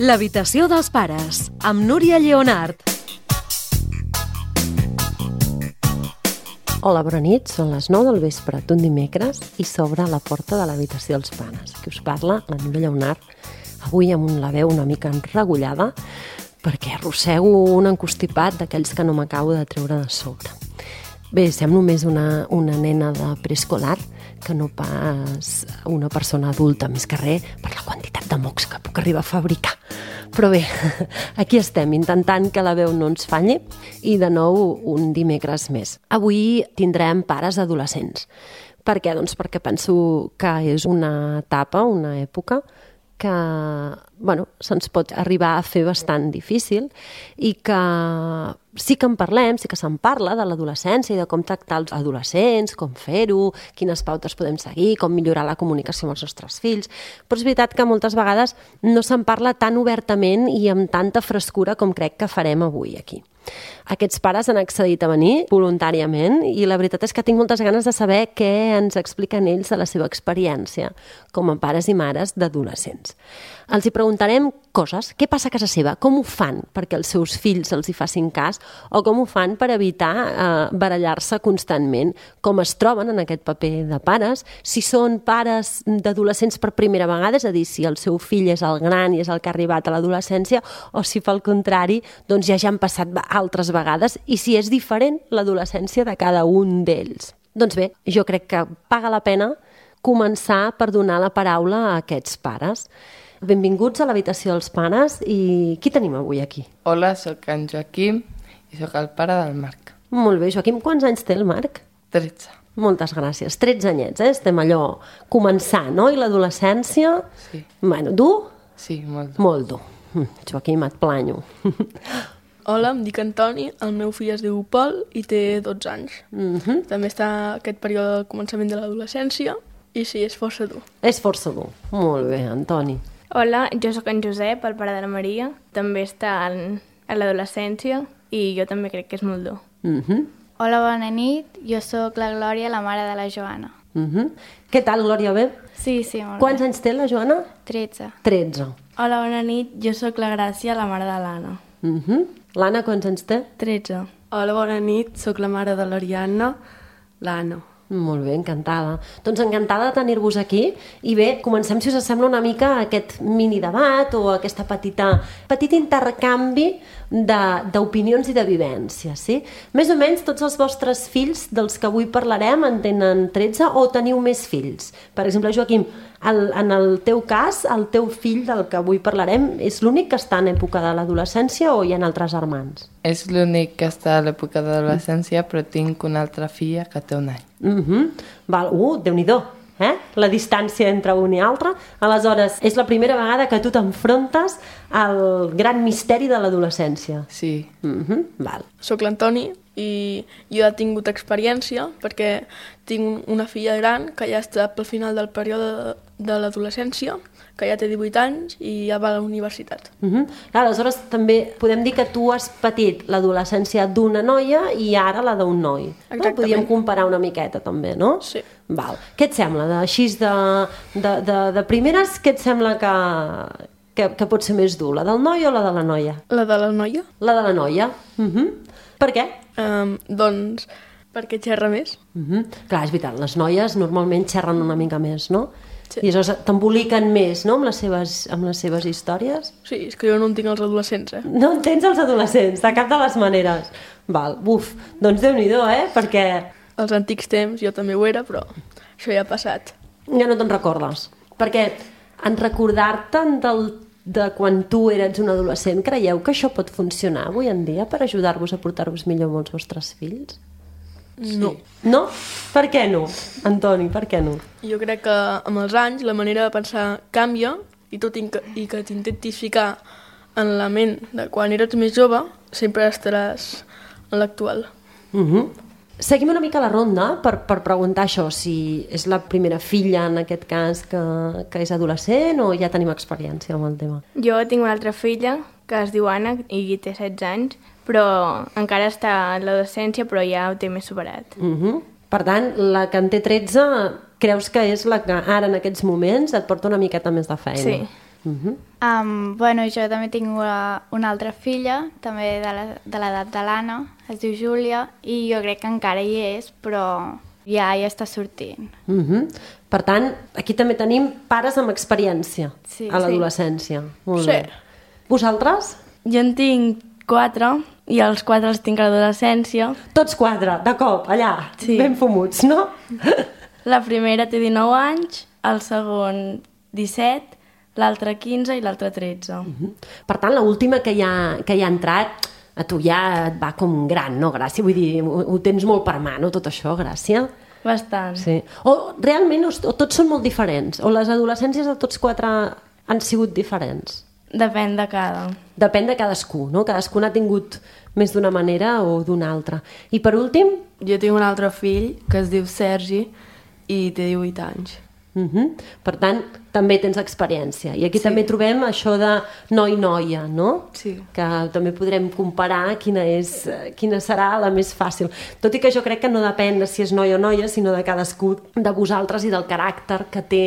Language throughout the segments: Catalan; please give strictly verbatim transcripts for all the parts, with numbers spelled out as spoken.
L'habitació dels pares, amb Núria Lleonart. Hola, bona nit, són les nou del vespre d'un dimecres i s'obre la porta de l'habitació dels pares. Qui us parla, la Núria Lleonart, avui amb la veu una mica enregullada perquè arrossego un encostipat d'aquells que no m'acabo de treure de sobre. Bé, semblo més una, una nena de preescolar que no pas una persona adulta, més que res per la quantitat de mocs que puc arribar a fabricar. Però bé, aquí estem, intentant que la veu no ens falli i de nou un dimecres més. Avui tindrem pares adolescents. Per què? Doncs perquè penso que és una etapa, una època que bueno, se'ns pot arribar a fer bastant difícil i que sí que en parlem, sí que se'n parla de l'adolescència i de com tractar els adolescents, com fer-ho, quines pautes podem seguir, com millorar la comunicació amb els nostres fills, però és veritat que moltes vegades no se'n parla tan obertament i amb tanta frescura com crec que farem avui aquí. Aquests pares han accedit a venir voluntàriament i la veritat és que tinc moltes ganes de saber què ens expliquen ells de la seva experiència com a pares i mares d'adolescents. Els hi preguntarem coses, què passa a casa seva, com ho fan perquè els seus fills els hi facin cas o com ho fan per evitar eh, barallar-se constantment, com es troben en aquest paper de pares, si són pares d'adolescents per primera vegada, és a dir, si el seu fill és el gran i és el que ha arribat a l'adolescència o si pel contrari doncs ja ja han passat altres vegades i si és diferent l'adolescència de cada un d'ells. Doncs bé, jo crec que paga la pena començar per donar la paraula a aquests pares. Benvinguts a l'habitació dels pares i qui tenim avui aquí? Hola, sóc en Joaquim i sóc el pare del Marc. Molt bé, Joaquim, quants anys té el Marc? tretze. Moltes gràcies, tretze anyets, eh? Estem allò començant, no? I l'adolescència? Sí. Bueno, dur? Sí, molt dur. Molt dur. Joaquim, et planyo. Hola, em dic Antoni, el meu fill es diu Pol i té dotze anys. Mm-hmm. També està aquest període del començament de l'adolescència i sí, és força dur. És força dur. Molt bé, Antoni. Hola, jo sóc en Josep, el pare de la Maria. També està en, a l'adolescència i jo també crec que és molt dur. Mm-hmm. Hola, bona nit. Jo sóc la Glòria, la mare de la Joana. Mm-hmm. Què tal, Glòria, bé? Sí, sí, molt Quants bé. anys té la Joana? tretze. tretze. Hola, bona nit. Jo sóc la Gràcia, la mare de l'Anna. Mm-hmm. L'Anna, quants anys té? tretze. Hola, bona nit. Sóc la mare de l'Ariadna, l'Anna. Molt bé, encantada. Doncs encantada de tenir-vos aquí i bé, comencem, si us sembla, una mica aquest mini debat o aquesta petita, petit intercanvi d'opinions i de vivències, sí? Més o menys tots els vostres fills dels que avui parlarem en tenen tretze o teniu més fills? Per exemple, Joaquim, el, en el teu cas, el teu fill del que avui parlarem és l'únic que està en època de l'adolescència o hi ha altres germans? És l'únic que està a l'època de l'adolescència, però tinc una altra filla que té un any. Mm-hmm. Val. Uh, Déu-n'hi-do, eh? La distància entre un i altre. Aleshores, és la primera vegada que tu t'enfrontes al gran misteri de l'adolescència. Sí. Mm-hmm. Val. Soc l'Antoni i jo he tingut experiència perquè tinc una filla gran que ja està pel final del període de l'adolescència, que ja té divuit anys i ja va a la universitat. Mm-hmm. Aleshores, també podem dir que tu has patit l'adolescència d'una noia i ara la d'un noi. Exactament. No? Podríem comparar una miqueta, també, no? Sí. Val. Què et sembla? De, així de, de, de, de primeres, què et sembla que, que, que pot ser més dur? La del noi o la de la noia? La de la noia? La de la noia. Mm-hmm. Per què? Um, doncs perquè xerra més. Mm-hmm. Clar, és veritat, les noies normalment xerren una mica més, no? Sí. I aleshores t'emboliquen més, no?, amb les seves, amb les seves històries. Sí, és que jo no en tinc els adolescents, eh? No en tens els adolescents, de cap de les maneres. Val, buf, doncs Déu-n'hi-do, eh?, perquè Els antics temps jo també ho era, però això ja ha passat. ja no te'n recordes. Perquè en recordar-te'n del, de quan tu eres un adolescent, creieu que això pot funcionar avui en dia per ajudar-vos a portar-vos millor amb els vostres fills? No. No? Per què no, Antoni, per què no? Jo crec que amb els anys la manera de pensar canvia i tot i que, i que t'intentis ficar en la ment de quan eres més jove, sempre estaràs en l'actual. Uh-huh. Seguim una mica la ronda per, per preguntar això, si és la primera filla en aquest cas que, que és adolescent o ja tenim experiència amb el tema. Jo tinc una altra filla que es diu Anna i té setze anys, però encara està en l'adolescència, però ja ho té més superat. Uh-huh. Per tant, la que en té tretze creus que és la que ara en aquests moments et porta una miqueta més de feina? Sí. Uh-huh. Um, bueno, jo també tinc una, una altra filla, també de la- de l'edat de l'Anna, es diu Júlia, i jo crec que encara hi és, però ja ja està sortint. Uh-huh. Per tant, aquí també tenim pares amb experiència Sí, a l'adolescència. Molt Sí. bé. Vosaltres? Jo en tinc quatre i els quatre els tinc a l'adolescència. Tots quatre, de cop, allà, Sí. ben fumuts, no? La primera té dinou anys, el segon disset, l'altre quinze i l'altre tretze. Per tant, l'última que, hi ha, que hi ha entrat, a tu ja et va com gran, no, Gràcia? Vull dir, ho, ho tens molt per mà, no, tot això, Gràcia? Bastant. Sí. O realment o, o tots són molt diferents? O les adolescències de tots quatre han sigut diferents? Depèn de cada. Depèn de cadascú, no? Cadascú n'ha tingut més d'una manera o d'una altra. I per últim, Jo tinc un altre fill que es diu Sergi i té divuit anys. uh-huh. per tant, també tens experiència. I aquí sí. també trobem això de noi-noia, no? Sí. Que també podrem comparar quina, és, eh, quina serà la més fàcil. Tot i que jo crec que no depèn de si és noi o noia, sinó de cadascú de vosaltres i del caràcter que té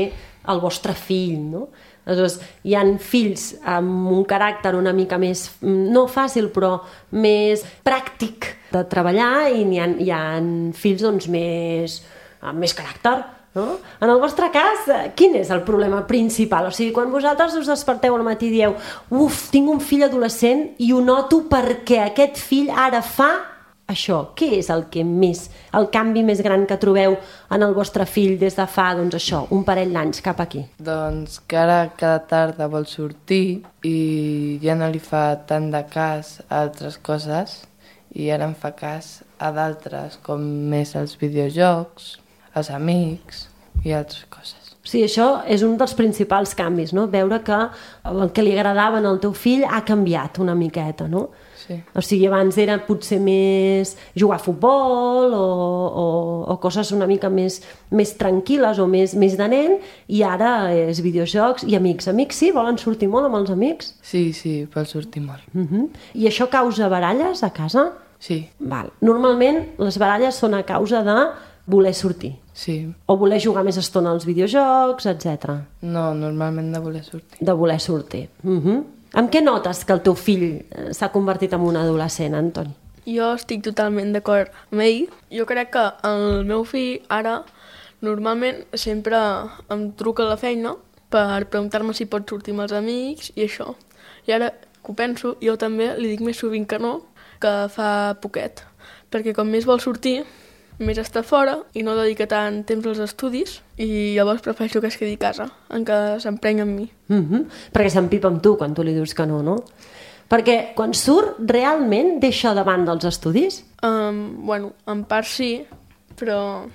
el vostre fill, no? Aleshores, hi ha fills amb un caràcter una mica més, no fàcil, però més pràctic de treballar, i hi ha, hi ha fills doncs, més, amb més caràcter, no? En el vostre cas, eh, quin és el problema principal? O sigui, quan vosaltres us desperteu al matí i dieu uf, tinc un fill adolescent i ho noto perquè aquest fill ara fa això. Què és el que més, el canvi més gran que trobeu en el vostre fill des de fa, doncs això, un parell d'anys cap aquí? Doncs que ara cada tarda vol sortir i ja no li fa tant de cas a altres coses i ara em fa cas a d'altres, com més els videojocs, els amics i altres coses. O sigui, això és un dels principals canvis, no? Veure que el que li agradava al teu fill ha canviat una miqueta, no? Sí. O sigui, abans era potser més jugar a futbol o, o, o coses una mica més, més tranquil·les o més, més de nen, i ara és videojocs i amics. Amics sí? Volen sortir molt amb els amics? Sí, sí, vol sortir molt. Uh-huh. I això causa baralles a casa? Sí, Val. Normalment les baralles són a causa de voler sortir sí. o voler jugar més estona als videojocs, etcètera. No, normalment de voler sortir. De voler sortir. Uh-huh. Amb què notes que el teu fill eh, s'ha convertit en un adolescent, Antoni? Jo estic totalment d'acord amb ell. Jo crec que el meu fill ara normalment sempre em truca a la feina per preguntar-me si pot sortir amb els amics i això. I ara que ho penso, jo també li dic més sovint que no, que fa poquet. Perquè com més vol sortir, més està fora i no dedica tant temps als estudis i llavors prefereixo que es quedi a casa, en què s'emprenya amb mi. Uh-huh. Perquè s'empipa amb tu quan tu li dius que no, no? Perquè quan surt, realment deixa de banda els estudis? Um, bueno, en part sí, però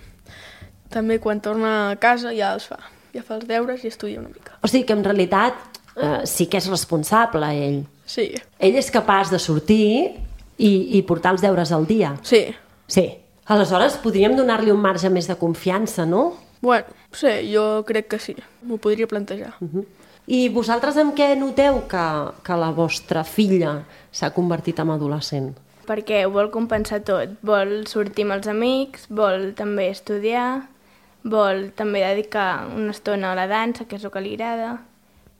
també quan torna a casa ja els fa. Ja fa els deures i estudia una mica. O sigui que en realitat eh, sí que és responsable ell. Sí, Ell és capaç de sortir i, i portar els deures al dia. sí. Sí. Aleshores podríem donar-li un marge més de confiança, no? Bueno, sí, jo crec que sí. M'ho podria plantejar. Uh-huh. I vosaltres amb què noteu que, que la vostra filla s'ha convertit en adolescent? Perquè vol compensar tot. Vol sortir amb els amics, vol també estudiar, vol també dedicar una estona a la dansa, que és el que li agrada,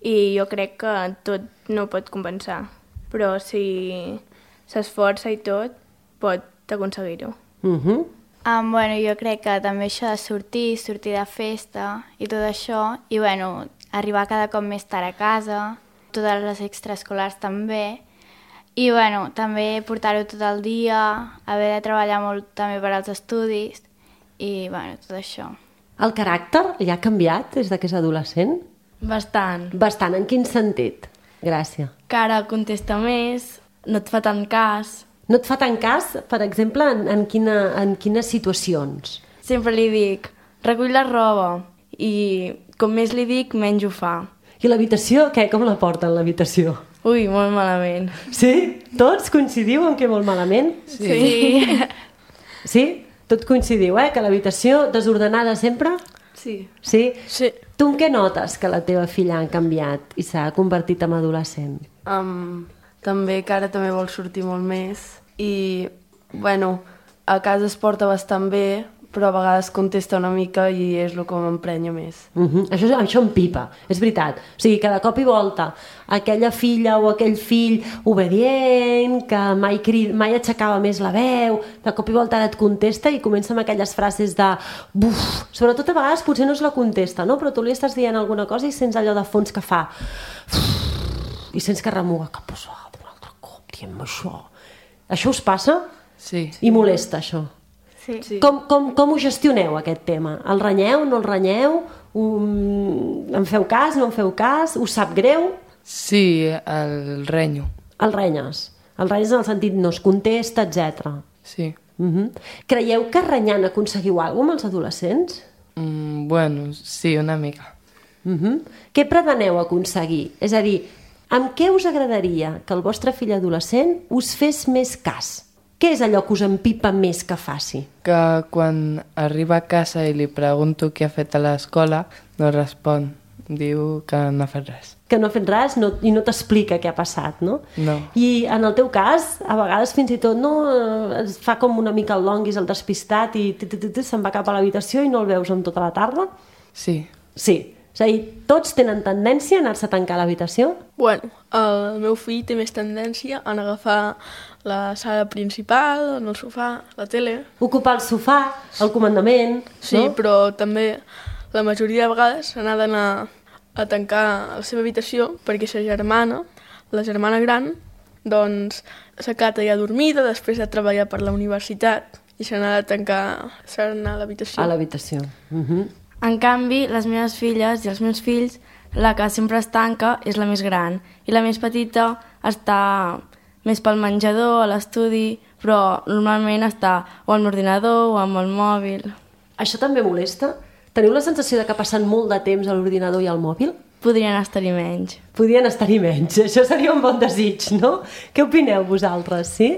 i jo crec que tot no ho pot compensar. Però si s'esforça i tot, pot aconseguir-ho. Uh-huh. Um, bueno, jo crec que també això de sortir, sortir de festa i tot això, i bueno, arribar cada cop més tard a casa, totes les extraescolars també, i bueno, també portar-ho tot el dia, haver de treballar molt també per als estudis, i bueno, tot això. El caràcter ja ha canviat des de que és adolescent? Bastant. Bastant. En quin sentit? Gràcies. Que ara contesta més, no et fa tant cas. No et fa tant cas, per exemple, en, en, quina, en quines situacions? Sempre li dic, recull la roba, i com més li dic, menys ho fa. I l'habitació, què? Com la porten, l'habitació? Ui, molt malament. Sí? Tots coincidiu en què molt malament? Sí. Sí. Sí? Tot coincidiu, eh? Que l'habitació desordenada sempre? Sí. Sí? Sí. Tu en què notes que la teva filla ha canviat i s'ha convertit en adolescent? Um, també que ara també vol sortir molt més i, bueno, a casa es porta bastant bé, però a vegades contesta una mica i és el que m'emprenya més. Uh -huh. això, això em pipa, és veritat. O sigui, que de cop i volta aquella filla o aquell fill obedient, que mai, crid, mai aixecava més la veu, de cop i volta ara et contesta i comença amb aquelles frases de buf, sobretot a vegades potser no és la contesta, no? Però tu li estàs dient alguna cosa i sents allò de fons que fa i sents que remuga, que posada un altre cop, diem això. Això us passa? Sí. I molesta això? Sí. Sí. Com, com, com ho gestioneu, aquest tema? El renyeu, no el renyeu? Um, en feu cas, no en feu cas? Us sap greu? Sí, el renyo. El renyes. El renyes en el sentit no es contesta, etcètera. Sí. Uh-huh. Creieu que renyant aconseguiu alguna cosa amb els adolescents? Mm, bueno, sí, una mica. Uh-huh. Què preteneu aconseguir? És a dir, amb què us agradaria que el vostre fill adolescent us fes més cas? Què és allò que us empipa més que faci? Que quan arriba a casa i li pregunto què ha fet a l'escola, no respon. Diu que no ha fet res. Que no ha fet res no, i no t'explica què ha passat, no? No. I en el teu cas, a vegades fins i tot no, es fa com una mica el longuis, el despistat i t -t -t -t se'n va cap a l'habitació i no el veus en tota la tarda? Sí. Sí. És a dir, tots tenen tendència a anar-se a tancar a l'habitació? Bueno, el meu fill té més tendència a agafar la sala principal, en el sofà, la tele. Ocupar el sofà, el comandament... Sí, no? però també la majoria de vegades se n'ha d'anar a tancar a la seva habitació perquè sa germana, la germana gran, doncs s'ha quedat allà dormida després de treballar per la universitat i se n'ha de tancar, s'ha d'anar a l'habitació. A l'habitació. Uh -huh. En canvi, les meves filles i els meus fills, la que sempre es tanca és la més gran i la més petita està més pel menjador, a l'estudi, però normalment està o amb l'ordinador o amb el mòbil. Això també molesta? Teniu la sensació de que passen molt de temps a l'ordinador i al mòbil? Podrien estar-hi menys. Podrien estar-hi menys. Això seria un bon desig, no? Què opineu vosaltres, sí?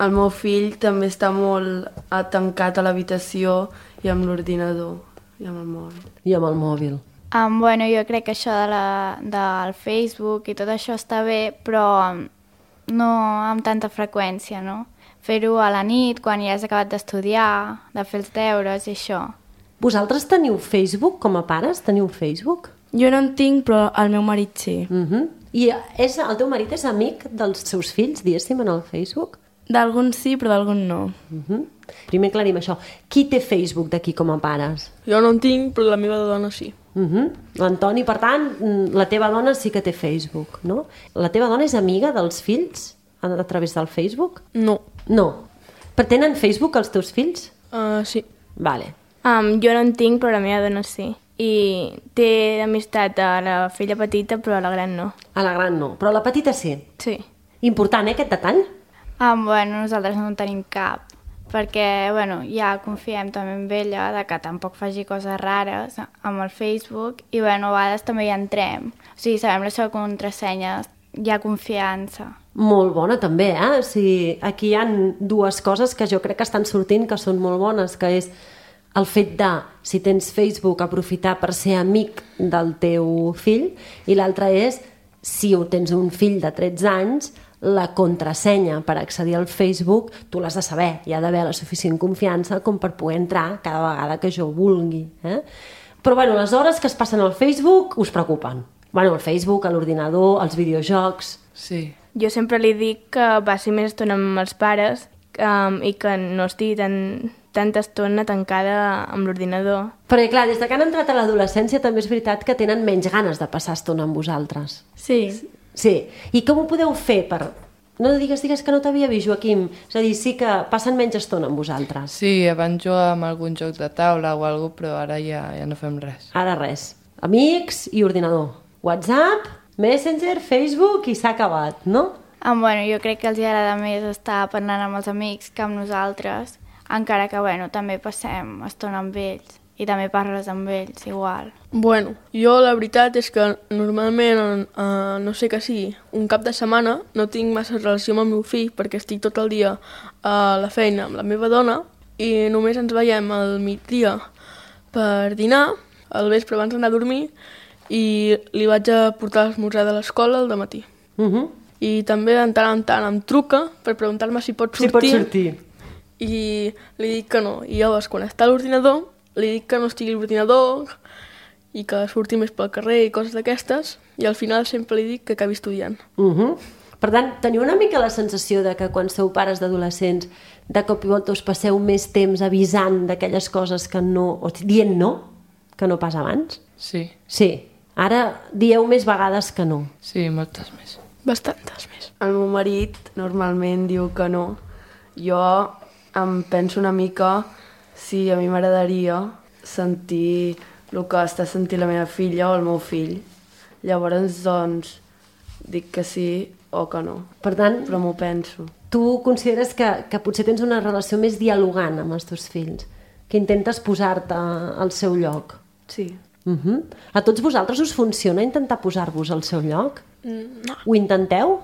El meu fill també està molt tancat a l'habitació i amb l'ordinador i amb el mòbil. I amb el mòbil. Um, bueno, jo crec que això de la, del Facebook i tot això està bé, però no amb tanta freqüència, no? Fer-ho a la nit, quan ja has acabat d'estudiar, de fer els deures i això. Vosaltres teniu Facebook com a pares? Teniu Facebook? Jo no en tinc, però el meu marit sí. Uh -huh. I és, el teu marit és amic dels seus fills, diguéssim, en el Facebook? D'alguns sí, però d'alguns no. Uh -huh. Primer aclarim això. Qui té Facebook d'aquí com a pares? Jo no en tinc, però la meva dona sí. Uh -huh. L'Antoni, per tant, la teva dona sí que té Facebook, no? La teva dona és amiga dels fills a, a través del Facebook? No. No. Però tenen Facebook els teus fills? Uh, sí. Vale. Um, jo no en tinc, però la meva dona sí. I té amistat a la filla petita, però a la gran no. A la gran no, però a la petita sí. Sí. Important, eh, aquest detall? Um, bueno, nosaltres no en tenim cap, perquè bueno, ja confiem també en ella, de que tampoc faci coses rares amb el Facebook, i bueno, a vegades també hi entrem. O sigui, sabem la seva contrasenya, hi ha confiança. Molt bona també, eh? O sigui, aquí hi ha dues coses que jo crec que estan sortint que són molt bones, que és el fet de, si tens Facebook, aprofitar per ser amic del teu fill, i l'altre és, si tens un fill de tretze anys, la contrasenya per accedir al Facebook tu l'has de saber, hi ha d'haver la suficient confiança com per poder entrar cada vegada que jo vulgui. Eh? Però bueno, les hores que es passen al Facebook us preocupen. Bueno, el Facebook, l'ordinador, els videojocs... Sí. Jo sempre li dic que passi més estona amb els pares um, i que no estigui tan, tanta estona tancada amb l'ordinador. Perquè clar, des que han entrat a l'adolescència també és veritat que tenen menys ganes de passar estona amb vosaltres. Sí. Sí. I com ho podeu fer per... No digues, digues que no t'havia vist, Joaquim. És a dir, sí que passen menys estona amb vosaltres. Sí, abans jugàvem algun joc de taula o alguna cosa, però ara ja, ja no fem res. Ara res. Amics i ordinador. WhatsApp, Messenger, Facebook i s'ha acabat, no? Um, bueno, jo crec que els agrada més estar parlant amb els amics que amb nosaltres, encara que bueno, també passem estona amb ells i també parles amb ells igual. Bueno, jo la veritat és que normalment, eh, no sé què sigui, un cap de setmana no tinc massa relació amb el meu fill perquè estic tot el dia a la feina amb la meva dona i només ens veiem al migdia per dinar, al vespre abans d'anar a dormir, i li vaig a portar l'esmorzar de l'escola al dematí. Uh -huh. I també de tant en tant em truca per preguntar-me si pot sortir. Si pot sortir. i li dic que no. I llavors, quan està a l'ordinador, li dic que no estigui a l'ordinador i que surti més pel carrer i coses d'aquestes, i al final sempre li dic que acabi estudiant. Uh -huh. Per tant, teniu una mica la sensació de que quan sou pares d'adolescents, de cop i volta us passeu més temps avisant d'aquelles coses que no... o dient no, que no pas abans? Sí. Sí. Ara dieu més vegades que no. Sí, moltes més. Bastantes més. El meu marit normalment diu que no. Jo em penso una mica si a mi m'agradaria sentir el que està sentint la meva filla o el meu fill. Llavors, doncs, dic que sí o que no. Per tant, però m'ho penso. Tu consideres que, que potser tens una relació més dialogant amb els teus fills, que intentes posar-te al seu lloc. Sí. Uh-huh. A tots vosaltres us funciona intentar posar-vos al seu lloc? Mm, no. Ho intenteu?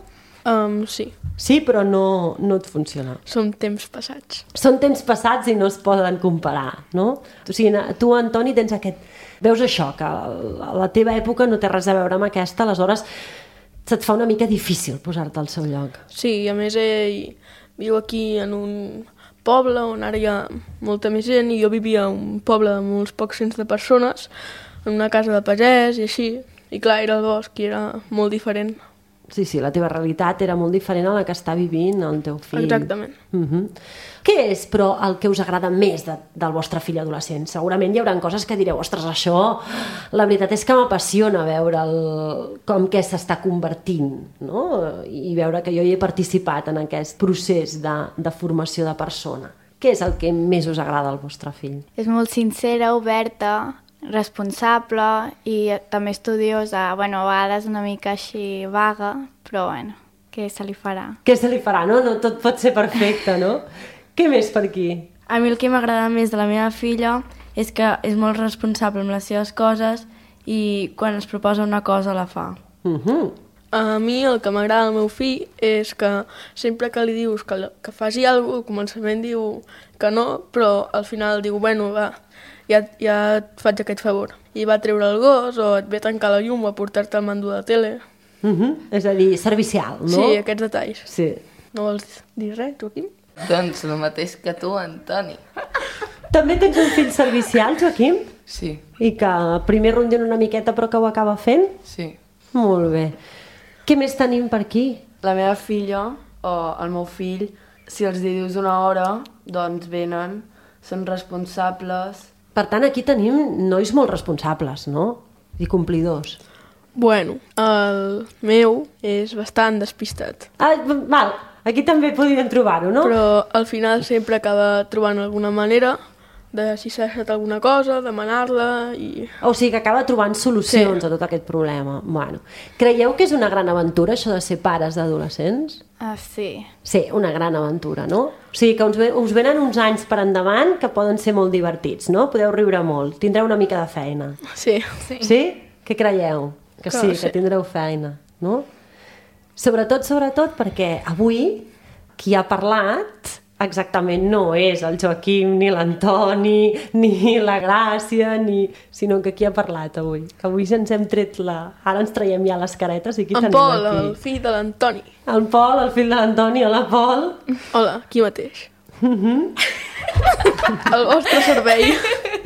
Um, sí. Sí, però no, no et funciona. Són temps passats. Són temps passats i no es poden comparar, no? O sigui, tu, Antoni, tens aquest... Veus això, que la teva època no té res a veure amb aquesta, aleshores se't fa una mica difícil posar-te al seu lloc. Sí, a més ell viu aquí en un poble on ara hi ha molta més gent, i jo vivia en un poble de molts pocs cents de persones, en una casa de pagès i així, i clar, era el bosc i era molt diferent. Sí, sí, la teva realitat era molt diferent a la que està vivint el teu fill. Exactament. Uh-huh. Què és, però, el que us agrada més de, del vostre fill adolescent? Segurament hi haurà coses que direu, ostres, això, la veritat és que m'apassiona veure el, com que s'està convertint, no? I veure que jo hi he participat en aquest procés de, de formació de persona. Què és el que més us agrada al vostre fill? És molt sincera, oberta, responsable i també estudiosa, bueno, a vegades una mica així vaga, però bueno, què se li farà? Què se li farà, no? No tot pot ser perfecte, no? Què més per aquí? A mi el que m'agrada més de la meva filla és que és molt responsable amb les seves coses i quan es proposa una cosa la fa. Uh-huh. A mi el que m'agrada del meu fill és que sempre que li dius que, que faci alguna cosa, al començament diu que no, però al final diu, bueno, va, ja, ja et faig aquest favor. I va treure el gos, o et ve a tancar la llum, o a portar-te el mando de tele. Uh-huh. És a dir, servicial, no? Sí, aquests detalls. Sí. No vols dir res, Joaquim? Doncs el mateix que tu, Antoni. També tens un fill servicial, Joaquim? Sí. I que primer rondina una miqueta però que ho acaba fent? Sí. Molt bé. Què més tenim per aquí? La meva filla o el meu fill, si els dius una hora, doncs venen, són responsables. Per tant, aquí tenim nois molt responsables, no? I complidors. Bueno, el meu és bastant despistat. Ah, val, aquí també podríem trobar-ho, no? Però al final sempre acaba trobant alguna manera de si s'ha deixat alguna cosa, demanar-la i... O sigui que acaba trobant solucions Sí. a tot aquest problema. Bueno, creieu que és una gran aventura això de ser pares d'adolescents? Ah, sí. Sí, una gran aventura, no? O sigui que us, ve, us venen uns anys per endavant que poden ser molt divertits, no? Podeu riure molt, tindreu una mica de feina. Sí. Sí. Sí? Què creieu? Que Que sí, sí. que tindreu feina, no? Sobretot, sobretot, perquè avui qui ha parlat exactament no és el Joaquim, ni l'Antoni, ni la Gràcia, ni... sinó que qui ha parlat avui? Que avui ja ens hem tret la... Ara ens traiem ja les caretes i qui En tenim Pol, aquí? el fill de l'Antoni. El Pol, el fill de l'Antoni. Hola, Pol. Hola, aquí mateix. El vostre servei.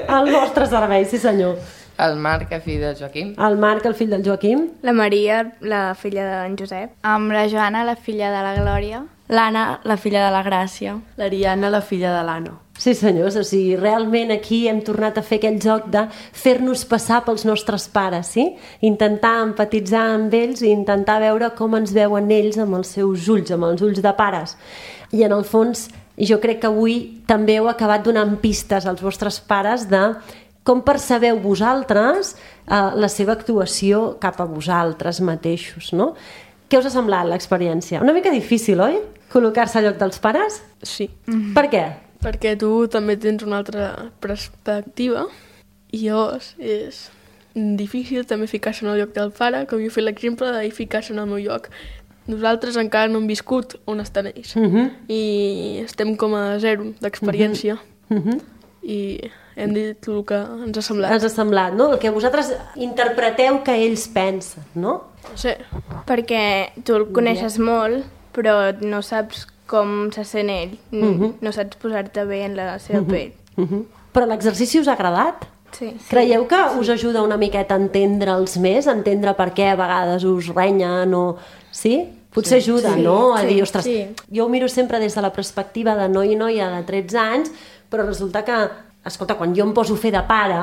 El vostre servei, sí senyor. El Marc, el fill de Joaquim. El Marc, el fill del Joaquim. La Maria, la filla d'en Josep. Amb la Joana, la filla de la Glòria. L'Anna, la filla de la Gràcia. L'Ariana, la filla de l'Ano. Sí senyors, o sigui, realment aquí hem tornat a fer aquell joc de fer-nos passar pels nostres pares, sí? Intentar empatitzar amb ells i intentar veure com ens veuen ells amb els seus ulls, amb els ulls de pares. I en el fons, jo crec que avui també heu acabat donant pistes als vostres pares de com percebeu vosaltres eh, la seva actuació cap a vosaltres mateixos, no? Què us ha semblat l'experiència? Una mica difícil, oi? Col·locar-se al lloc dels pares? Sí. Per què? Perquè tu també tens una altra perspectiva i llavors és difícil també ficar-se en el lloc del pare, com jo he fet l'exemple de ficar-se en el meu lloc. Nosaltres encara no hem viscut on estan ells Uh-huh. i estem com a zero d'experiència Uh-huh. i hem dit el que ens ha semblat. Ens ha semblat, no? El que vosaltres interpreteu que ells pensen, no? Sí. Perquè tu el coneixes molt, però no saps com se sent ell. Mhm. No saps posar-te bé en la seva pell. Mhm. Però l'exercici us ha agradat? Sí. Creieu que us ajuda una miqueta a entendre'ls més, a entendre per què a vegades us renyen o... Sí? Potser ajuda, Sí, no? A sí, dir, ostres, sí. jo ho miro sempre des de la perspectiva de noi i noia de tretze anys, però resulta que, escolta, quan jo em poso a fer de pare,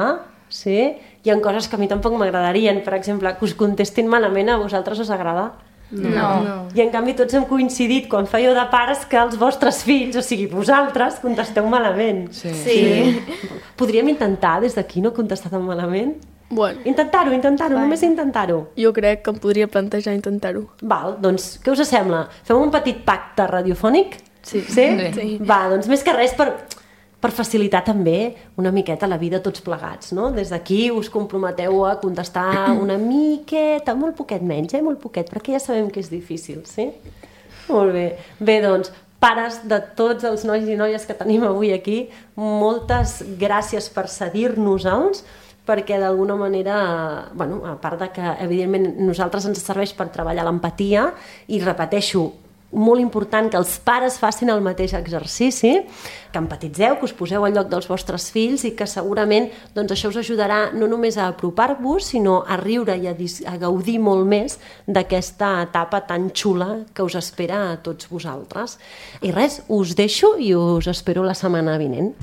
sí, hi ha coses que a mi tampoc m'agradarien. Per exemple, que us contestin malament, a vosaltres us agrada? No. no. I en canvi tots hem coincidit quan fèieu de pares que els vostres fills, o sigui, vosaltres, contesteu malament. Sí. Sí. Podríem intentar des d'aquí no contestar tan malament? Bueno, Intentar-ho, intentar-ho, només intentar-ho. jo crec que em podria plantejar intentar-ho. Val, doncs, què us sembla? Fem un petit pacte radiofònic? Sí. Sí? Sí. Va, doncs més que res per, per facilitar també una miqueta la vida tots plegats, no? Des d'aquí us comprometeu a contestar una miqueta, molt poquet menys, eh? Molt poquet, perquè ja sabem que és difícil, sí? Molt bé. Bé, doncs, pares de tots els nois i noies que tenim avui aquí, moltes gràcies per cedir-nos-els, perquè d'alguna manera, bueno, a part de que evidentment nosaltres ens serveix per treballar l'empatia, i repeteixo, molt important que els pares facin el mateix exercici, que empatitzeu, que us poseu al lloc dels vostres fills i que segurament doncs, això us ajudarà no només a apropar-vos, sinó a riure i a, a gaudir molt més d'aquesta etapa tan xula que us espera a tots vosaltres. I res, us deixo i us espero la setmana vinent.